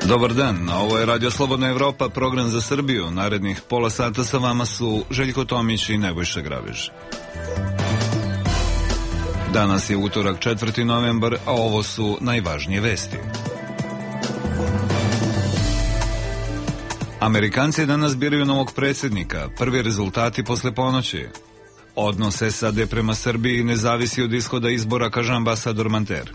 Dobar dan, ovo je Radio Slobodna Evropa, program za Srbiju. Narednih pola sata sa vama su Željko Tomić i Nebojša Grabež. Danas je utorak 4. novembar, a ovo su najvažnije vesti. Amerikanci danas biraju novog predsjednika, prvi rezultati posle ponoći. Odnos SAD prema Srbiji ne zavisi od ishoda izbora, kaže ambasador Manter.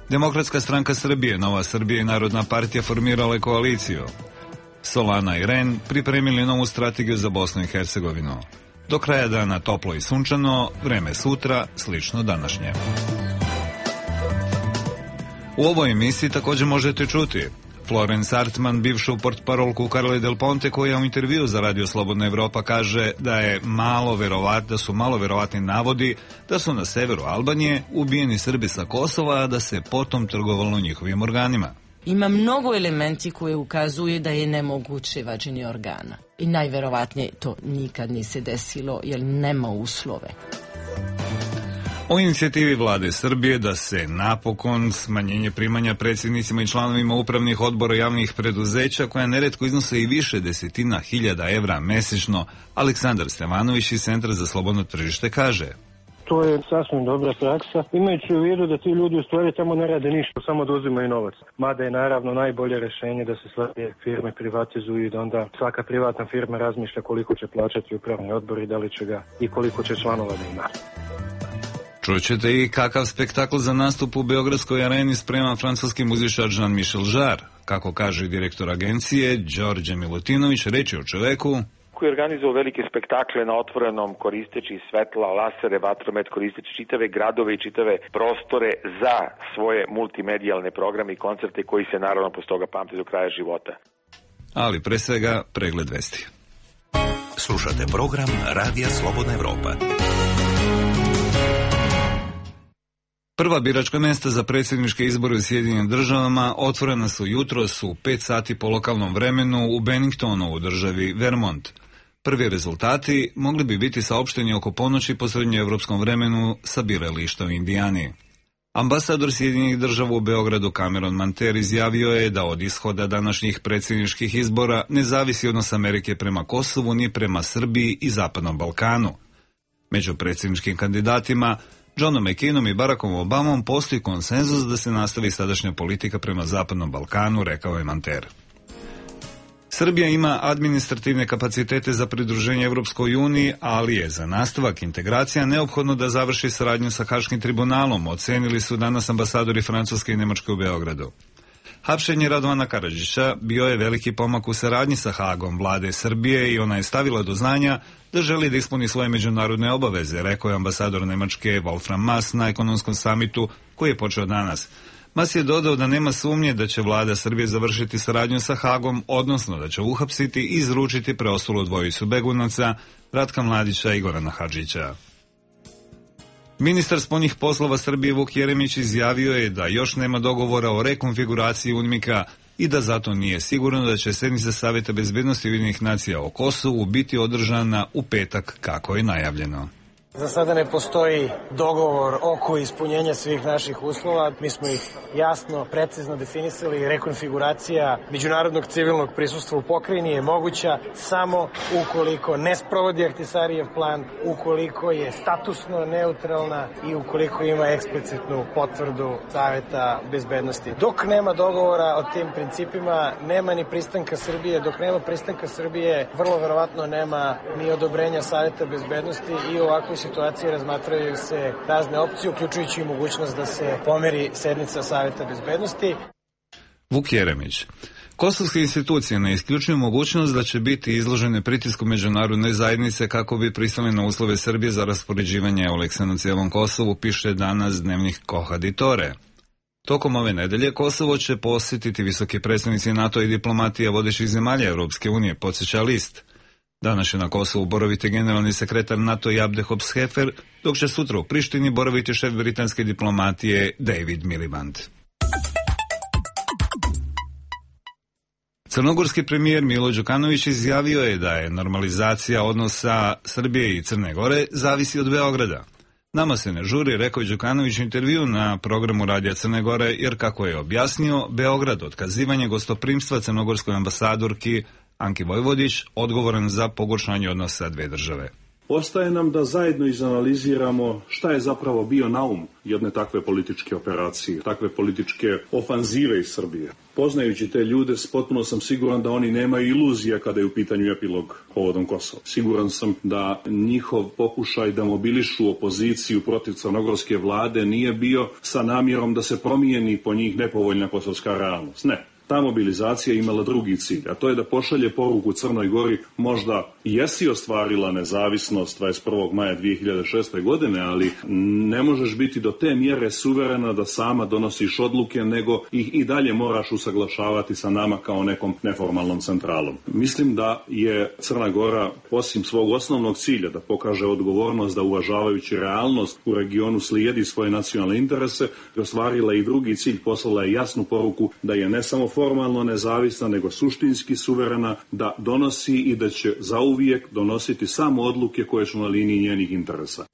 Demokratska stranka Srbije, Nova Srbija i Narodna partija formirale koaliciju. Solana i Ren pripremili novu strategiju za Bosnu i Hercegovinu. Do kraja dana toplo i sunčano, vreme sutra slično današnje. U ovoj emisiji također možete čuti Florence Artman, bivšu portparolku Carle Del Ponte, koja u intervju za Radio Slobodna Evropa kaže da su malo verovatni navodi da su na severu Albanije ubijeni Srbi sa Kosova, a da se potom trgovalo njihovim organima. Ima mnogo elementi koje ukazuje da je nemoguće vađenje organa. I najverovatnije to nikad nije se desilo jer nema uslove. O inicijativi vlade Srbije da se napokon smanjenje primanja predsjednicima i članovima upravnih odbora javnih preduzeća, koja neretko iznose i više desetina hiljada evra mesečno, Aleksandar Stevanović iz Centra za slobodno tržište kaže: To je sasvim dobra praksa, imajući u vidu da ti ljudi u stvari tamo ne rade ništa, samo da uzimaju novac. Mada je naravno najbolje rješenje da se sve firme privatizuju i da onda svaka privatna firma razmišlja koliko će plaćati upravni odbor i da li će ga i koliko će članova da ima. Čućete i kakav spektakl za nastup u Beogradskoj areni sprema francuski muzičar Jean-Michel Jarre. Kako kaže direktor agencije Đorđe Milutinović, reč je o čoveku koji je organizovao velike spektakle na otvorenom koristeći svetla, lasere, vatromet, koristeći čitave gradove i čitave prostore za svoje multimedijalne programe i koncerte koji se naravno posle toga pamte do kraja života. Ali pre svega pregled vesti. Slušate program Radija Slobodna Evropa. Prva biračka mesta za predsjedničke izbore u Sjedinjenim Državama otvorena su jutros u 5 sati po lokalnom vremenu u Benningtonu u državi Vermont. Prvi rezultati mogli bi biti saopšteni oko ponoći po srednjoevropskom vremenu sa birališta u Indijani. Ambasador Sjedinjenih Država u Beogradu Cameron Manter izjavio je da od ishoda današnjih predsjedničkih izbora ne zavisi odnos Amerike prema Kosovu ni prema Srbiji i Zapadnom Balkanu. Među predsjedničkim kandidatima Johnom McCainom i Barackom Obamom postoji konsenzus da se nastavi sadašnja politika prema Zapadnom Balkanu, rekao je Manter. Srbija ima administrativne kapacitete za pridruženje Evropskoj uniji, ali je za nastavak integracija neophodno da završi saradnju sa Haškim tribunalom, ocenili su danas ambasadori Francuske i Nemačke u Beogradu. Hapšenje Radovana Karadžića bio je veliki pomak u saradnji sa Hagom vlade Srbije i ona je stavila do znanja da želi da ispuni svoje međunarodne obaveze, rekao je ambasador Nemačke Wolfram Maass na ekonomskom samitu koji je počeo danas. Maass je dodao da nema sumnje da će vlada Srbije završiti saradnju sa Hagom, odnosno da će uhapsiti i izručiti preostalu dvojicu begunaca, Ratka Mladića i Gorana Hadžića. Ministar spoljnih poslova Srbije Vuk Jeremić izjavio je da još nema dogovora o rekonfiguraciji UNMIK-a i da zato nije sigurno da će sednica Saveta bezbednosti Ujedinjenih nacija o Kosovu biti održana u petak kako je najavljeno. Za sada ne postoji dogovor oko ispunjenja svih naših uslova. Mi smo ih jasno, precizno definisali. Rekonfiguracija međunarodnog civilnog prisustva u pokrajini je moguća samo ukoliko ne sprovodi Ahtisarijev plan, ukoliko je statusno neutralna i ukoliko ima eksplicitnu potvrdu Saveta bezbednosti. Dok nema dogovora o tim principima, nema ni pristanka Srbije. Dok nema pristanka Srbije, vrlo verovatno nema ni odobrenja Saveta bezbednosti i ovakvoj situaciji razmatraju se razne opcije, uključujući i mogućnost da se pomeri sednica Saveta bezbednosti. Vuk Jeremić. Kosovske institucije ne isključuju mogućnost da će biti izložene pritisku međunarodne zajednice kako bi pristale na uslove Srbije za raspoređivanje Euleksa na cijelom Kosovu, piše danas dnevnik Kohaditore. Tokom ove nedelje Kosovo će posjetiti visoki predstavnici NATO i diplomatija vodećih zemalja Europske unije, podsjeća list. Danas će na Kosovu boraviti generalni sekretar NATO Jabde Hops-Hefer, dok će sutra u Prištini boraviti šef britanske diplomatije David Miliband. Crnogorski premijer Milo Đukanović izjavio je da je normalizacija odnosa Srbije i Crne Gore zavisi od Beograda. Nama se ne žuri, rekao je Đukanović u intervju na programu Radija Crne Gore, jer kako je objasnio, Beograd otkazivanje gostoprimstva crnogorskoj ambasadorki Anki Vojvodić odgovoran za pogoršanje odnosa dve države. Ostaje nam da zajedno izanaliziramo šta je zapravo bio naum jedne takve političke operacije, takve političke ofanzive iz Srbije. Poznajući te ljude, potpuno sam siguran da oni nemaju iluzija kada je u pitanju epilog povodom Kosova. Siguran sam da njihov pokušaj da mobilišu opoziciju protiv crnogorske vlade nije bio sa namjerom da se promijeni po njih nepovoljna kosovska realnost. Ne. Ta mobilizacija imala drugi cilj, a to je da pošalje poruku Crnoj Gori, možda jesi ostvarila nezavisnost 21. maja 2006. godine, ali ne možeš biti do te mjere suverena da sama donosiš odluke, nego ih i dalje moraš usaglašavati sa nama kao nekom neformalnom centralom. Mislim da je Crna Gora, osim svog osnovnog cilja da pokaže odgovornost, da uvažavajući realnost u regionu slijedi svoje nacionalne interese, ostvarila i drugi cilj, poslala je jasnu poruku da je ne samo formalno nezavisna, nego suštinski suverena, da donosi i da će zauvijek donositi samo odluke koje su na liniji njenih interesa.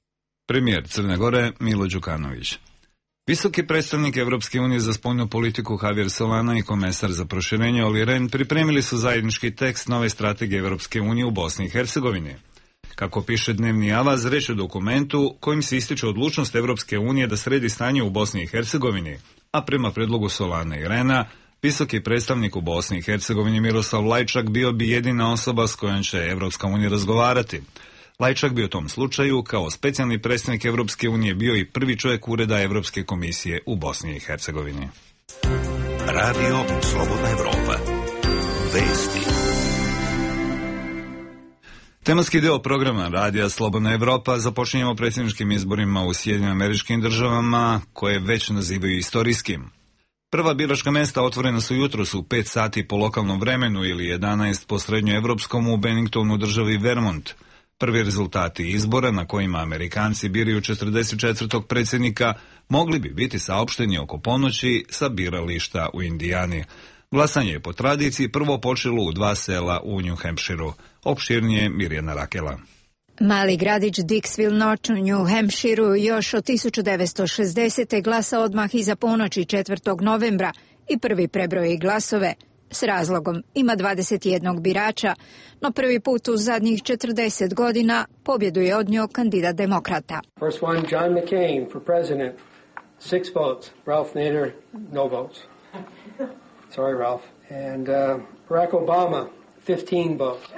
Premijer Crne Gore Milo Đukanović. Visoki predstavnik Evropske unije za spoljnu politiku Javier Solana i komesar za proširenje Olli Rehn pripremili su zajednički tekst nove strategije Evropske unije u Bosni i Hercegovini. Kako piše Dnevni Avaz, reč je o dokumentu kojim se ističe odlučnost Evropske unije da sredi stanje u Bosni i Hercegovini, a prema predlogu Solana i Rehna, visoki predstavnik u Bosni i Hercegovini Miroslav Lajčak bio bi jedina osoba s kojom će Evropska unija razgovarati. Lajčak bi u tom slučaju kao specijalni predstavnik Evropske unije bio i prvi čovjek ureda Evropske komisije u Bosni i Hercegovini. Radio Slobodna Evropa. Vesti. Tematski deo programa Radija Slobodna Evropa započinjemo predsjedničkim izborima u Sjedinjenim Američkim Državama, koje već nazivaju istorijskim. Prva biračka mesta otvorena su jutros u 5 sati po lokalnom vremenu ili 11 po srednjoevropskom u Benningtonu, državi Vermont. Prvi rezultati izbora na kojima Amerikanci biraju 44. predsjednika mogli bi biti saopšteni oko ponoći sa birališta u Indijani. Glasanje je po tradiciji prvo počelo u 2 sela u New Hampshireu. Opširnije Mirjana Rakela. Mali gradić Dixville Notch u New Hampshireu još od 1960. glasa odmah iza ponoći 4. novembra i prvi prebroji glasove. S razlogom ima 21 birača, no prvi put u zadnjih 40 godina pobjedu je odnio kandidat demokrata. First one, John McCain for president, 6 votes. Ralph Nader, no votes. Sorry, Ralph. And Barack Obama, 15 votes.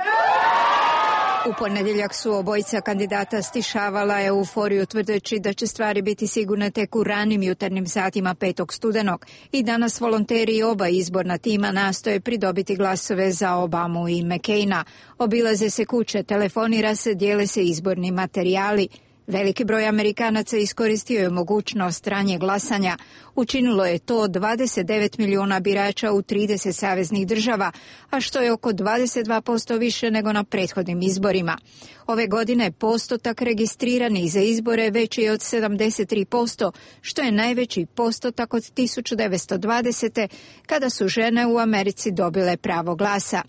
U ponedjeljak su obojica kandidata stišavala euforiju tvrdeći da će stvari biti sigurne tek u ranim jutarnjim satima 5. studenog i danas volonteri oba izborna tima nastoje pridobiti glasove za Obamu i McCaina. Obilaze se kuće, telefonira se, dijele se izborni materijali. Veliki broj Amerikanaca iskoristio je mogućnost ranijeg glasanja. Učinilo je to 29 milijuna birača u 30 saveznih država, a što je oko 22% više nego na prethodnim izborima. Ove godine postotak registriranih za izbore veći je od 73%, što je najveći postotak od 1920. kada su žene u Americi dobile pravo glasa.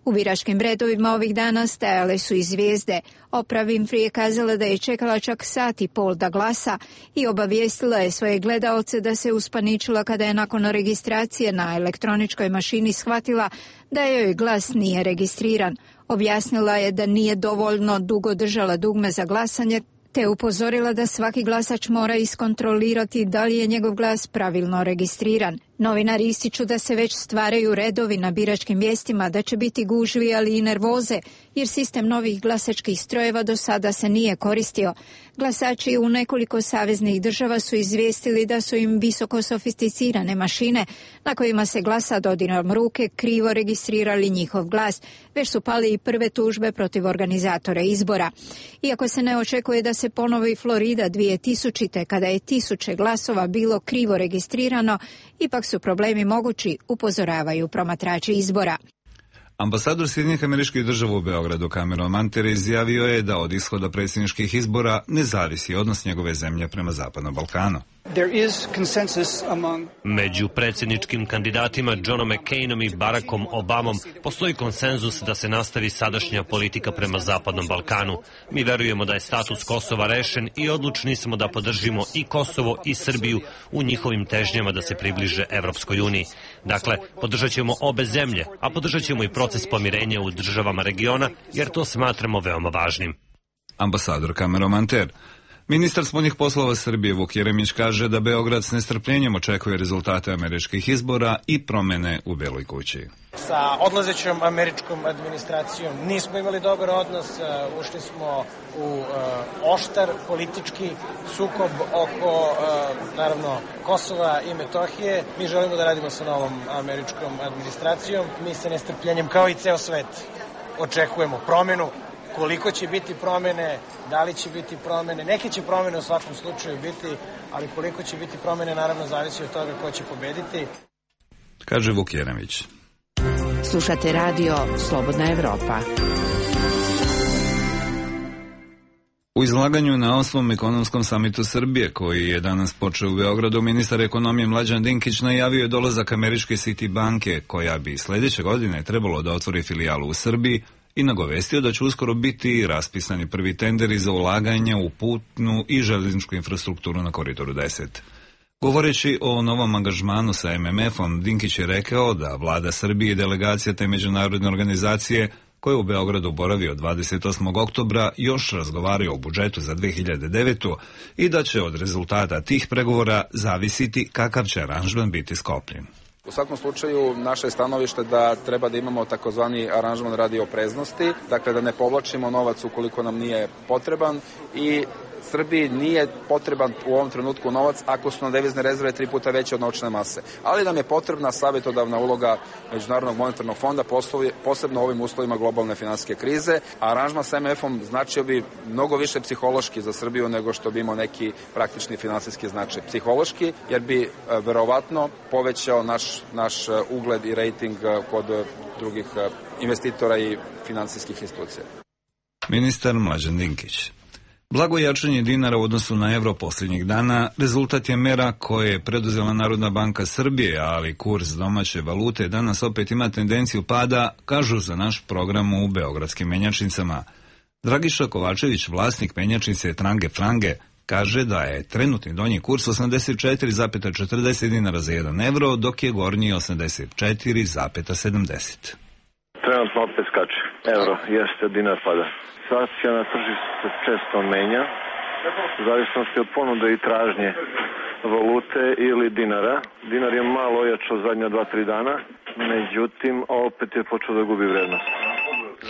U biračkim redovima ovih dana stajale su i zvijezde. Oprah Winfrey je kazala da je čekala čak sat i pol da glasa i obavijestila je svoje gledaoce da se uspaničila kada je nakon registracije na elektroničkoj mašini shvatila da joj glas nije registriran. Objasnila je da nije dovoljno dugo držala dugme za glasanje, te upozorila da svaki glasač mora iskontrolirati da li je njegov glas pravilno registriran. Novinari ističu da se već stvaraju redovi na biračkim mjestima, da će biti gužvi, ali i nervoze, jer sistem novih glasačkih strojeva do sada se nije koristio. Glasači u nekoliko saveznih država su izvijestili da su im visoko sofisticirane mašine na kojima se glasa dodirom ruke krivo registrirali njihov glas. Već su pali i prve tužbe protiv organizatora izbora. Iako se ne očekuje da se ponovi Florida 2000. kada je 1000 glasova bilo krivo registrirano, ipak su problemi mogući, upozoravaju promatrači izbora. Ambasador Sjedinjenih Američkih Država u Beogradu Cameron Manter izjavio je da od ishoda predsjedničkih izbora ne zavisi odnos njegove zemlje prema Zapadnom Balkanu. Među predsjedničkim kandidatima Johnom McCainom i Barackom Obamom postoji konsenzus da se nastavi sadašnja politika prema Zapadnom Balkanu. Mi verujemo da je status Kosova rešen i odlučni smo da podržimo i Kosovo i Srbiju u njihovim težnjama da se približe Evropskoj uniji. Dakle, podržat ćemo obe zemlje, a podržat ćemo i proces pomirenja u državama regiona, jer to smatramo veoma važnim. Ambasador Cameron Ter. Ministar spoljnih poslova Srbije Vuk Jeremić kaže da Beograd s nestrpljenjem očekuje rezultate američkih izbora i promene u Beloj kući. Sa odlazećom američkom administracijom nismo imali dobar odnos, ušli smo u oštar politički sukob oko, naravno, Kosova i Metohije. Mi želimo da radimo sa novom američkom administracijom. Mi sa nestrpljenjem, kao i ceo svet, očekujemo promenu. Koliko će biti promene, da li će biti promene, neke će promene u svakom slučaju biti, ali koliko će biti promene naravno zavisi od toga ko će pobediti. Kaže Vuk Jeremić. Slušate radio Slobodna Evropa. U izlaganju na 8. ekonomskom samitu Srbije, koji je danas počeo u Beogradu, ministar ekonomije Mlađan Dinkić najavio je dolazak američke Citi banke, koja bi sledeće godine trebalo da otvori filijalu u Srbiji, i nagovestio da će uskoro biti raspisani prvi tenderi za ulaganje u putnu i železničku infrastrukturu na Koridoru 10. Govoreći o novom angažmanu sa MMF-om, Dinkić je rekao da vlada Srbije i delegacija te međunarodne organizacije, koja u Beogradu boravi od 28. oktobra, još razgovaraju o budžetu za 2009. i da će od rezultata tih pregovora zavisiti kakav će aranžman biti sklopljen. U svakom slučaju, naše je stanovište da treba da imamo takozvani aranžman radi opreznosti, dakle da ne povlačimo novac ukoliko nam nije potreban i Srbiji nije potreban u ovom trenutku novac ako su nam devizne rezerve 3 puta veće od novčane mase. Ali nam je potrebna savjetodavna uloga Međunarodnog monetarnog fonda, posebno u ovim uslovima globalne finansijske krize. Aranžman sa MMF-om značio bi mnogo više psihološki za Srbiju nego što bi imao neki praktični finansijski značaj. Psihološki, jer bi verovatno povećao naš ugled i rejting kod drugih investitora i finansijskih institucija. Ministar Mlađan Dinkić. Blago jačanje dinara u odnosu na evro posljednjih dana rezultat je mera koje je preduzela Narodna banka Srbije, ali kurs domaće valute danas opet ima tendenciju pada, kažu za naš program u beogradskim menjačnicama. Dragiša Kovačević, vlasnik menjačnice Trange Frange, kaže da je trenutni donji kurs 84,40 dinara za 1 evro, dok je gornji 84,70. Trenutno opet skače. Evro, jeste, dinar pada. Situacija na tržištu se često menja, u zavisnosti od ponude i tražnje valute ili dinara. Dinar je malo ojačao zadnja 2-3 dana, međutim opet je počeo da gubi vrednost.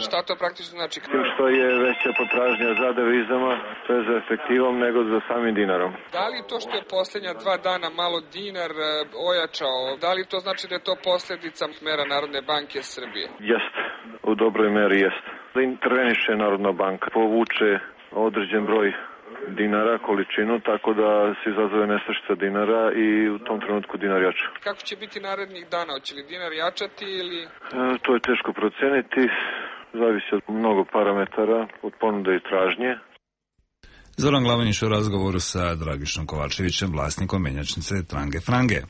Šta to praktično znači? Tim što je veća potražnja za devizama, sve za efektivom nego za samim dinarom. Da li to što je posljednja 2 dana malo dinar ojačao, da li to znači da je to posljedica mera Narodne banke Srbije? Jeste, u dobroj meri jeste. Da interveniše Narodna banka, povuče određen broj dinara, količinu, tako da se izazove nestašica dinara i u tom trenutku dinar jača. Kako će biti narednih dana? Hoće li dinar jačati ili... To je teško proceniti, zavisi od mnogo parametara, od ponude i tražnje. Zoran Glavanić u razgovoru sa Dragišom Kovačevićem, vlasnikom menjačnice Trange Frange.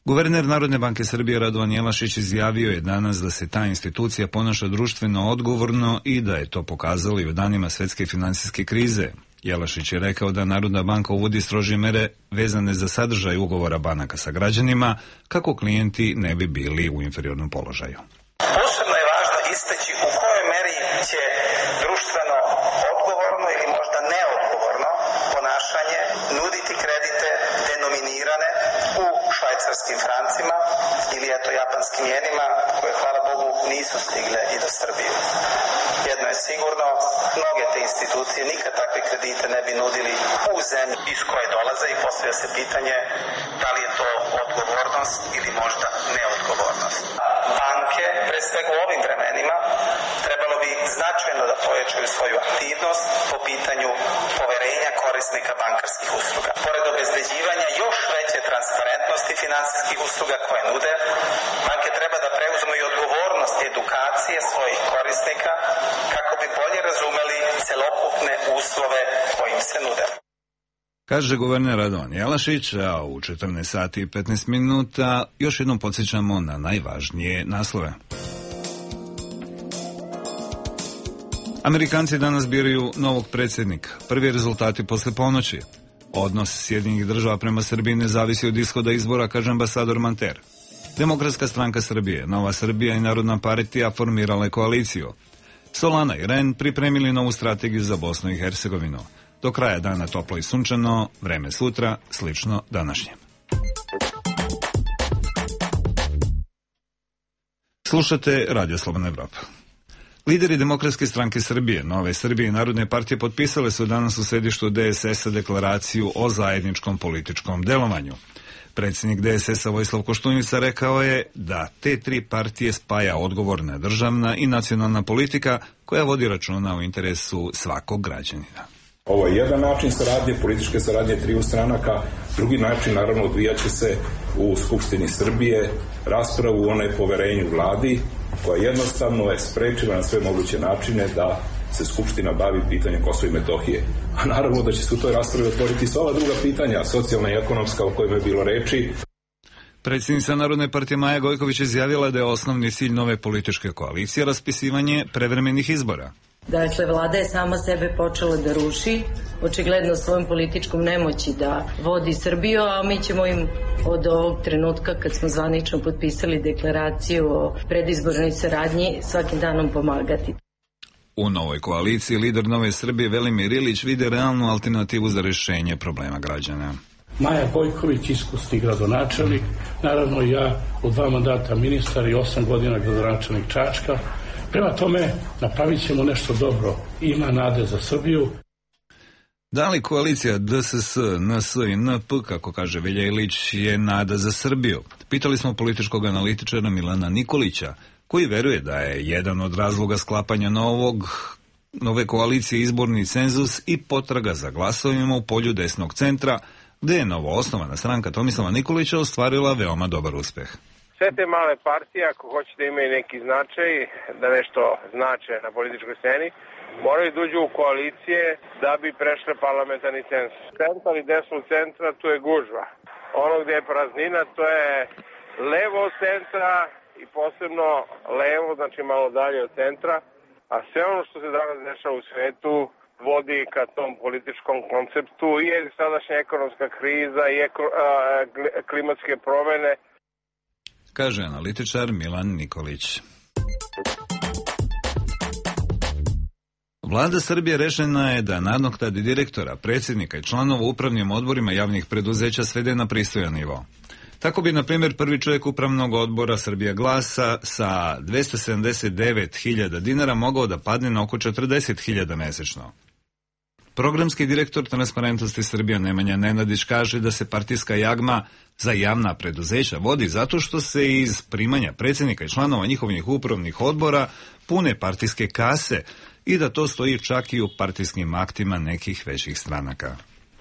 Guverner Narodne banke Srbije Radovan Jelašić izjavio je danas da se ta institucija ponaša društveno odgovorno i da je to pokazalo i u danima svetske finansijske krize. Jelašić je rekao da Narodna banka uvodi strožije mere vezane za sadržaj ugovora banaka sa građanima, kako klijenti ne bi bili u inferiornom položaju. Posebno je važno istaći u kojoj meri će društveno odgovorno ili možda neodgovorno ponašanje nuditi kredite denominirane u švajcarskim francima ili japanskim jenima, koje hvala Bogu nisu stigle i do Srbije. Jedno je sigurno, mnoge te institucije nikad takve kredite ne bi nudili u zemlji iz koje dolaze i postavlja se pitanje da li je to odgovornost ili možda neodgovornost. Banke, pre svega u ovim vremenima, trebalo bi značajno da pojačaju svoju aktivnost po pitanju poverenja korisnika bankarskih usluga. Pored obezbeđivanja još veće transparentnosti finansijskih usluga koje nude, banke treba da preuzmu i odgovornost edukacije svojih korisnika kako bi bolje razumeli celokupne uslove koji im se nude. Kaže guverner Radovan Jelašić, a u 14 sati i 15 minuta još jednom podsjećamo na najvažnije naslove. Amerikanci danas biraju novog predsjednika. Prvi rezultati posle ponoći. Odnos Sjedinjenih Država prema Srbiji ne zavisi od ishoda izbora, kaže ambasador Manter. Demokratska stranka Srbije, Nova Srbija i Narodna partija formirale koaliciju. Solana i Ren pripremili novu strategiju za Bosnu i Hercegovinu. Do kraja dana toplo i sunčano, vreme sutra slično današnjem. Slušate Radio Slobodna Evropa. Lideri Demokratske stranke Srbije, Nove Srbije i Narodne partije potpisale su danas u sedištu DSS-a deklaraciju o zajedničkom političkom delovanju. Predsjednik DSS-a Vojislav Koštunica rekao je da te tri partije spaja odgovorna državna i nacionalna politika koja vodi računa o interesu svakog građanina. Ovo je jedan način saradnje, političke saradnje triju stranaka. Drugi način, naravno, odvijaće se u Skupštini Srbije, raspravu o nepoverenju vladi, koja jednostavno je sprečila na sve moguće načine da se Skupština bavi pitanjem Kosova i Metohije. A naravno da će se u toj raspravi otvoriti sva ova druga pitanja, socijalna i ekonomska o kojima je bilo reči. Predsjednica Narodne partije Maja Gojković izjavila da je osnovni cilj nove političke koalicije raspisivanje prevremenih izbora. Dakle, vlada je sama sebe počela da ruši, očigledno svojom političkom nemoći da vodi Srbiju, a mi ćemo im od ovog trenutka kad smo zvanično potpisali deklaraciju o predizbornoj saradnji svakim danom pomagati. U novoj koaliciji lider Nove Srbije Velimir Ilić vide realnu alternativu za rješenje problema građana. Maja Gojković, iskusni gradonačelnik, naravno ja u 2 mandata ministar i 8 godina gradonačelnik Čačka. Prema tome, napravit ćemo nešto dobro. Ima nade za Srbiju. Da li koalicija DSS, NS i NP, kako kaže Velja Ilić, je nada za Srbiju? Pitali smo političkog analitičara Milana Nikolića, koji veruje da je jedan od razloga sklapanja nove koalicije izborni cenzus i potraga za glasovima u polju desnog centra, gde je novo osnovana stranka Tomislava Nikolića ostvarila veoma dobar uspeh. Sve te male partije, ako hoće da imaju neki značaj, da nešto znače na političkoj sceni, moraju da uđu u koalicije da bi prešle parlamentarni cenzus. Centar i desnog centra, tu je gužva. Ono gde je praznina, to je levo od centra i posebno levo, znači malo dalje od centra, a sve ono što se danas dešava u svetu vodi ka tom političkom konceptu i sadašnja ekonomska kriza i klimatske promene, kaže analitičar Milan Nikolić. Vlada Srbije rešena je da nadoknadi direktora, predsjednika i članova upravnim odborima javnih preduzeća svede na pristojan nivo. Tako bi, na primjer, prvi čovjek upravnog odbora Srbija glasa sa 279.000 dinara mogao da padne na oko 40.000 mesečno. Programski direktor Transparentnosti Srbija Nemanja Nenadić kaže da se partijska jagma za javna preduzeća vodi zato što se iz primanja predsjednika i članova njihovih upravnih odbora pune partijske kase i da to stoji čak i u partijskim aktima nekih većih stranaka.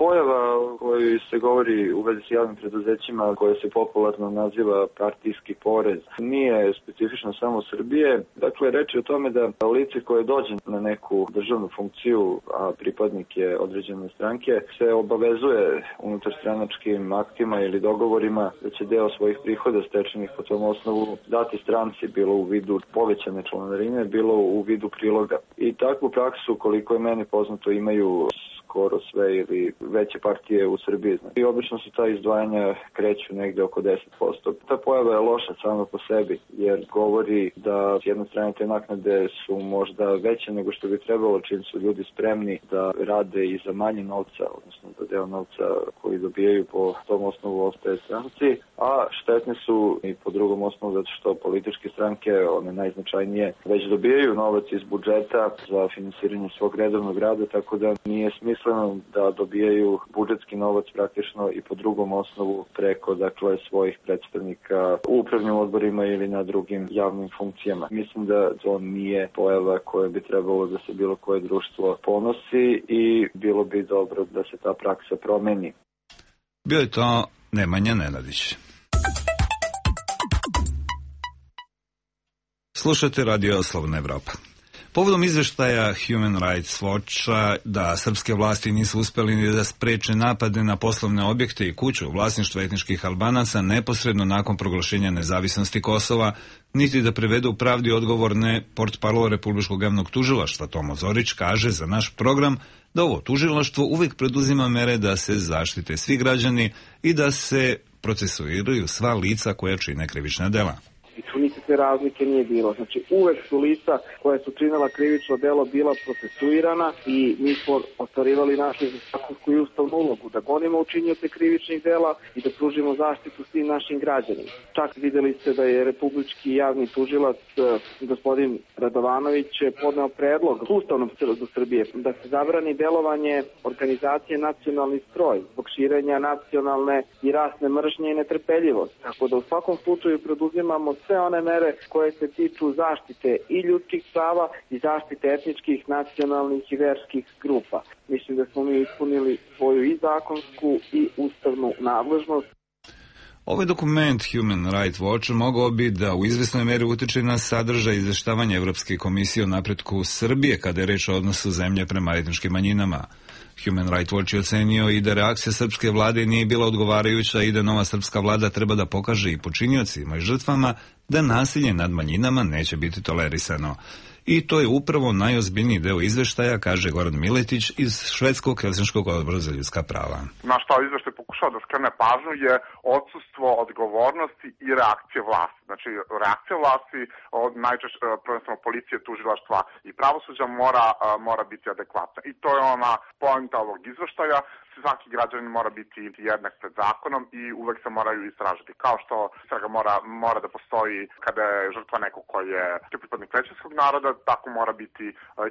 Pojava o kojoj se govori u vezi s javnim preduzećima, koja se popularno naziva partijski porez, nije specifično samo Srbije. Dakle, reč je o tome da lice koje dođe na neku državnu funkciju, a pripadnik je određene stranke, se obavezuje unutar stranačkim aktima ili dogovorima da će deo svojih prihoda stečenih po tom osnovu dati stranci, bilo u vidu povećane članarine, bilo u vidu priloga. I takvu praksu, koliko je meni poznato, imaju skoro sve ili veće partije u Srbiji. I obično se ta izdvajanja kreću negde oko 10%. Ta pojava je loša sama po sebi, jer govori da s jedne strane te naknade su možda veće nego što bi trebalo, čim su ljudi spremni da rade i za manje novca, odnosno da deo novca koji dobijaju po tom osnovu ostaje stranci, a štetne su i po drugom osnovu zato što političke stranke, one najznačajnije, već dobijaju novac iz budžeta za finansiranje svog redovnog rada, tako da nije smisleno da dobijaju budžetski novac praktično i po drugom osnovu preko, dakle, svojih predstavnika u upravnim odborima ili na drugim javnim funkcijama. Mislim da to nije pojava koja bi trebalo da se bilo koje društvo ponosi i bilo bi dobro da se ta praksa promeni. Bio je to Nemanja Nenadić. Slušajte Radio Slobodna Evropa. Povodom izveštaja Human Rights Watcha da srpske vlasti nisu uspeli ni da spreče napade na poslovne objekte i kuću u vlasništvu etničkih Albanaca neposredno nakon proglašenja nezavisnosti Kosova, niti da prevedu pravdi odgovorne, portparol Republičkog javnog tužilaštva Tomo Zorić kaže za naš program da ovo tužilaštvo uvijek preduzima mere da se zaštite svi građani i da se procesuiraju sva lica koja čine krivična dela. I tu nikakve razlike nije bilo. Znači, uvek su lica koja su činila krivično delo bila procesuirana i mi smo ostvarivali našu zakonsku i ustavnu ulogu da gonimo učinioce krivičnih dela i da pružimo zaštitu svim našim građanima. Čak videli ste da je Republički javni tužilac gospodin Radovanović podneo predlog Ustavnom sudu Srbije da se zabrani delovanje organizacije Nacionalni stroj zbog širenja nacionalne i rasne mržnje i netrpeljivosti. Tako da u svakom slučaju preduzimamo sve one mere koje se tiču zaštite i ljudskih prava i zaštite etničkih, nacionalnih i verskih grupa. Mislim da smo mi ispunili svoju i zakonsku i ustavnu nadležnost. Ovaj dokument Human Rights Watch mogao bi da u izvesnoj meri utiče na sadržaj izveštavanja Evropske komisije o napretku Srbije kada je reč o odnosu zemlje prema etničkim manjinama. Human Rights Watch je ocenio i da reakcija srpske vlade nije bila odgovarajuća i da nova srpska vlada treba da pokaže i počiniocima i žrtvama da nasilje nad manjinama neće biti tolerisano. I to je upravo najozbiljniji deo izveštaja, kaže Goran Miletić iz Švedskog Helsinškog odbora za ljudska prava. Na šta izveštaj pokušao da skrene pažnju je odsustvo odgovornosti i reakcije vlasti. Znači, reakcija vlasti od najčešće prvenstveno policije, tužilaštva i pravosuđa mora biti adekvatna. I to je ona poenta ovog izveštaja. Svaki građanin mora biti jednak pred zakonom i uvek se moraju istražiti. Kao što istraga mora da postoji kada je žrtva neko koji je pripadnik većinskog naroda, tako mora biti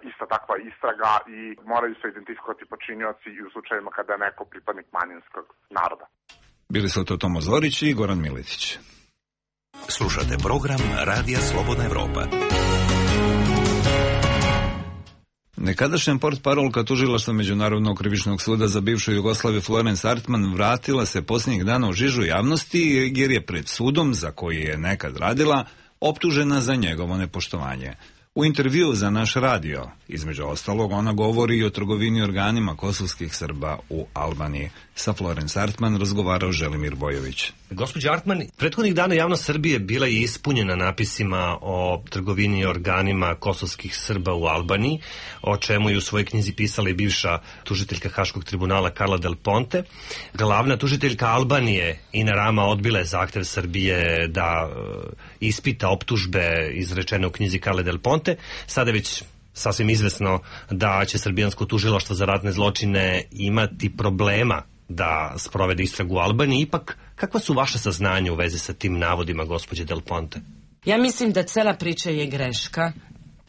ista takva istraga i moraju se identifikovati počinioci i u slučajima kada je neko pripadnik manjinskog naroda. Bili su to Tomo Zorić i Goran Miletić. Slušate program Radija Slobodna Evropa. Nekadašnja portparolka tužilaštva Međunarodnog krivičnog suda za bivšu Jugoslaviju Florence Artman vratila se posljednjih dana u žižu javnosti jer je pred sudom za koji je nekad radila optužena za njegovo nepoštovanje. U intervjuu za naš radio, između ostalog, ona govori i o trgovini organima kosovskih Srba u Albaniji. Sa Florence Artman razgovarao Želimir Bojović. Gospođo Artman, prethodnih dana javnost Srbije bila je ispunjena napisima o trgovini organima kosovskih Srba u Albaniji, o čemu je u svojoj knjizi pisala i bivša tužiteljka Haškog tribunala Carla Del Ponte. Glavna tužiteljka Albanije Ina Rama odbila je zahtev Srbije da ispita optužbe izrečene u knjizi Carla Del Ponte. Sada je već sasvim izvesno da će srbijansko tužilaštvo za ratne zločine imati problema da sprovede istragu u Albaniji. Ipak, kakva su vaše saznanja u vezi sa tim navodima gospođe Del Ponte? Ja mislim da cela priča je greška.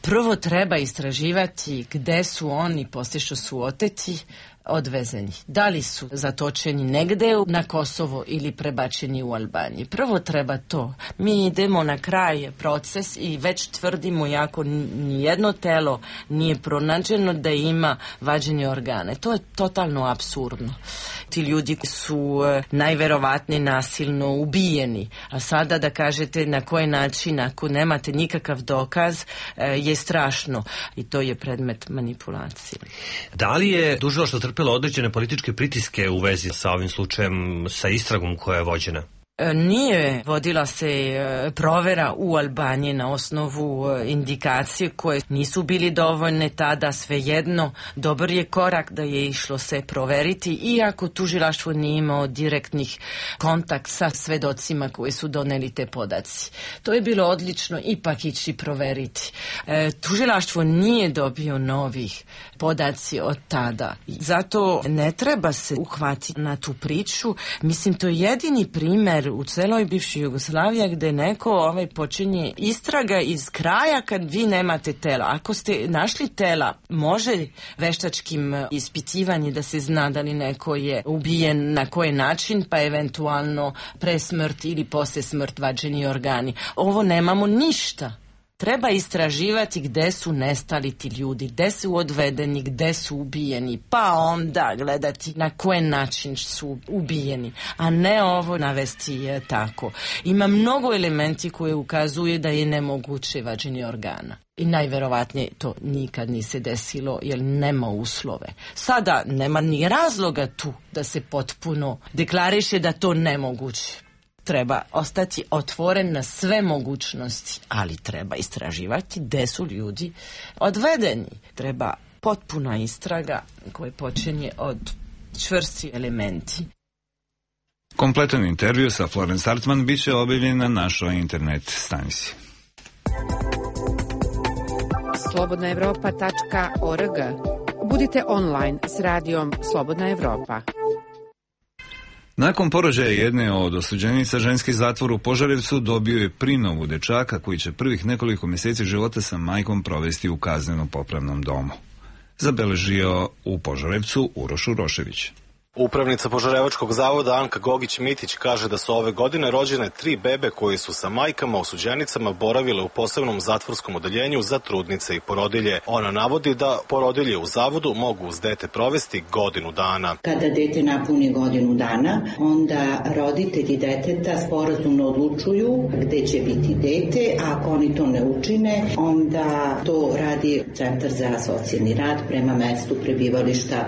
Prvo treba istraživati gde su oni, poslije što su oteti, odvezeni. Da li su zatočeni negde na Kosovo ili prebačeni u Albaniji. Prvo treba to. Mi idemo na kraj proces i već tvrdimo, jako nijedno telo nije pronađeno da ima vađenje organe. To je totalno apsurdno. Ti ljudi su najverovatnije nasilno ubijeni. A sada da kažete na koji način, ako nemate nikakav dokaz, je strašno. I to je predmet manipulacije. Da li je tužilaštvo trpelo određene političke pritiske u vezi sa ovim slučajem, sa istragom koja je vođena? Nije vodila se provera u Albaniji na osnovu indikacije koje nisu bili dovoljne tada, svejedno. Dobar je korak da je išlo se proveriti, iako tužilaštvo nije imao direktnih kontakt sa svedocima koji su doneli te podaci. To je bilo odlično ipak ići proveriti. Tužilaštvo nije dobio novih podaci od tada. Zato ne treba se uhvatiti na tu priču. Mislim, to je jedini primer u celoj bivšoj Jugoslaviji gde neko počinje istraga iz kraja kad vi nemate tela. Ako ste našli tela, može veštačkim ispitivanjem da se zna da li neko je ubijen, na koji način, pa eventualno pre smrt ili posle smrt vađeni organi. Ovo nemamo ništa. Treba istraživati gde su nestali ti ljudi, gde su odvedeni, gde su ubijeni, pa onda gledati na koji način su ubijeni, a ne ovo navesti tako. Ima mnogo elementi koje ukazuju da je nemoguće vađenje organa. I najverovatnije to nikad nije se desilo jer nema uslove. Sada nema ni razloga tu da se potpuno deklariše da to nemoguće. Treba ostati otvoren na sve mogućnosti, ali treba istraživati gde su ljudi odvedeni. Treba potpuna istraga koja počinje od čvrsti elementi. Kompletan intervju sa Florence Hartman bit će objavljen na našoj internet stranici. slobodnaevropa.org. Budite online s radijom Slobodna Evropa. Nakon porođaja jedne od osuđenica, ženski zatvor u Požarevcu dobio je prinovu dečaka koji će prvih nekoliko mjeseci života sa majkom provesti u kazneno-popravnom domu. Zabeležio u Požarevcu Uroš Urošević. Upravnica Požarevačkog zavoda Anka Gogić-Mitić kaže da su ove godine rođene 3 bebe koje su sa majkama osuđenicama boravile u posebnom zatvorskom odeljenju za trudnice i porodilje. Ona navodi da porodilje u zavodu mogu uz dete provesti godinu dana. Kada dete napuni godinu dana, onda roditelji deteta sporazumno odlučuju gde će biti dete, a ako oni to ne učine, onda to radi Centar za socijalni rad prema mestu prebivališta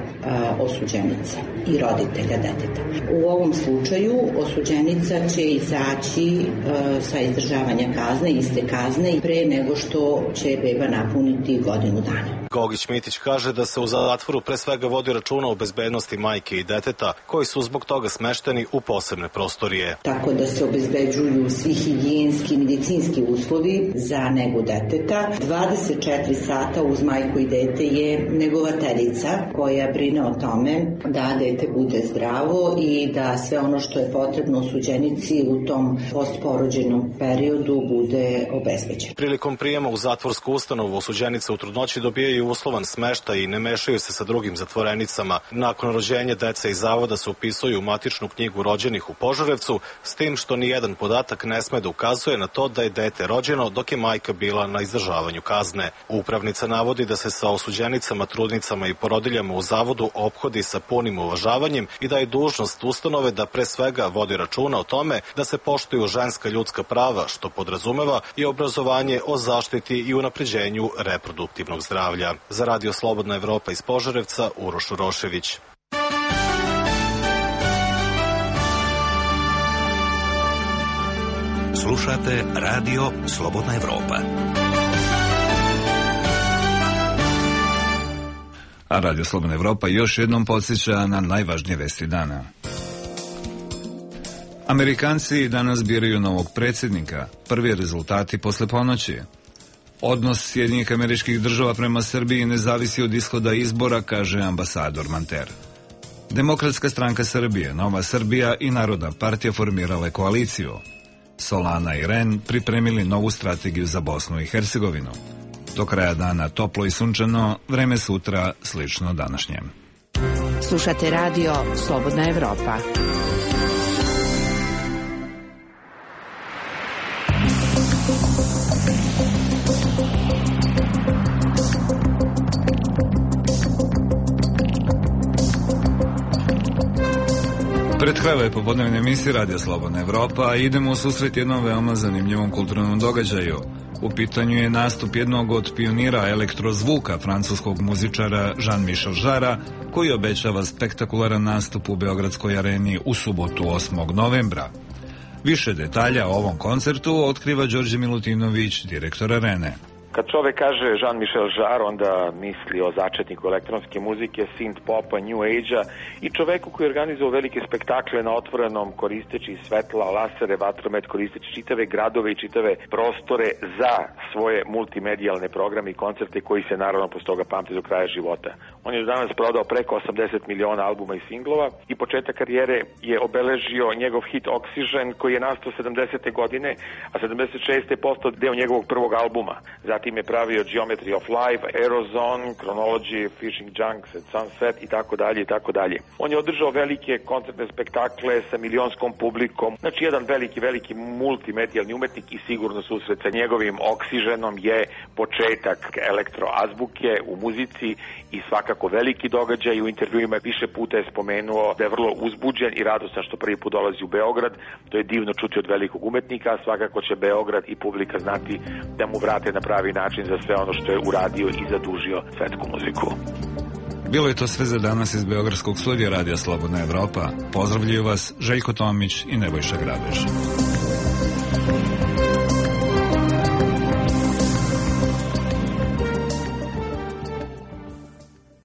osuđenice i roditelja deteta. U ovom slučaju osuđenica će izaći sa izdržavanja kazne, iste kazne, i pre nego što će beba napuniti godinu dana. Gogić-Mitić kaže da se u zatvoru pre svega vodi računa o bezbednosti majke i deteta, koji su zbog toga smešteni u posebne prostorije. Tako da se obezbeđuju svi higijenski i medicinski uslovi za negu deteta. 24 sata uz majku i dete je negovateljica koja brine o tome da dete bude zdravo i da sve ono što je potrebno osuđenici u tom postporođenom periodu bude obezbeđeno. Prilikom prijema u zatvorsku ustanovu osuđenice u trudnoći dobijaju uslovan smeštaj i ne mešaju se sa drugim zatvorenicama. Nakon rođenja deca iz zavoda se upisuju u matičnu knjigu rođenih u Požarevcu, s tim što ni jedan podatak ne sme da ukazuje na to da je dete rođeno dok je majka bila na izdržavanju kazne. Upravnica navodi da se sa osuđenicama, trudnicama i porodiljama u zavodu ophodi sa punim uvažavanjem i da je dužnost ustanove da pre svega vodi računa o tome da se poštuju ženska ljudska prava, što podrazumeva i obrazovanje o zaštiti i unapređenju reproduktivnog zdravlja. Za Radio Slobodna Evropa iz Požarevca, Uroš Urošević. Slušate Radio Slobodna Evropa. A Radio Slobodna Evropa još jednom podsjeća na najvažnije vesti dana. Amerikanci danas biraju novog predsjednika. Prvi rezultati posle ponoći. Odnos Sjedinjenih Američkih Država prema Srbiji ne zavisi od ishoda izbora, kaže ambasador Manter. Demokratska stranka Srbije, Nova Srbija i Narodna partija formirale koaliciju. Solana i Ren pripremili novu strategiju za Bosnu i Hercegovinu. Do kraja dana toplo i sunčano, vreme sutra slično današnjem. Slušate radio Slobodna Evropa. Pred kraj ove popodnevne emisije Radio Slobodna Evropa idemo u susret jednom veoma zanimljivom kulturnom događaju. U pitanju je nastup jednog od pionira elektrozvuka, francuskog muzičara Jean-Michel Jarra, koji obećava spektakularan nastup u Beogradskoj areni u subotu 8. novembra. Više detalja o ovom koncertu otkriva Đorđe Milutinović, direktor arene. Kad čovek kaže Jean-Michel Jarre, onda misli o začetniku elektronske muzike, synth popa, new age-a i čoveku koji je organizovao velike spektakle na otvorenom, koristeći svetla, lasere, vatromet, koristeći čitave gradove i čitave prostore za svoje multimedijalne programe i koncerte koji se naravno posle toga pamte do kraja života. On je danas prodao preko 80 miliona albuma i singlova i početak karijere je obeležio njegov hit Oxygen koji je nastao 70. godine, a 76. je postao deo njegovog prvog albuma. Zatim je pravio Geometry of Life, Aerozone, Chronology, Fishing Junks, Sunset i tako dalje i tako dalje. On je održao velike koncertne spektakle sa milionskom publikom, znači jedan veliki multimedijalni umetnik i sigurno susret sa njegovim Oxygenom je početak elektroazbuke u muzici i svakako veliki događaj. U intervjuima više puta je spomenuo da je vrlo uzbuđen i radostan što prvi put dolazi u Beograd. To je divno čuti od velikog umetnika, svakako će Beograd i publika znati da mu vrate na pravi način za sve ono što je uradio i zadužio svetsku muziku. Bilo je to sve za danas iz Beogradskog studija Radija Slobodna Evropa. Pozdravljaju vas Željko Tomić i Nebojša Grabež.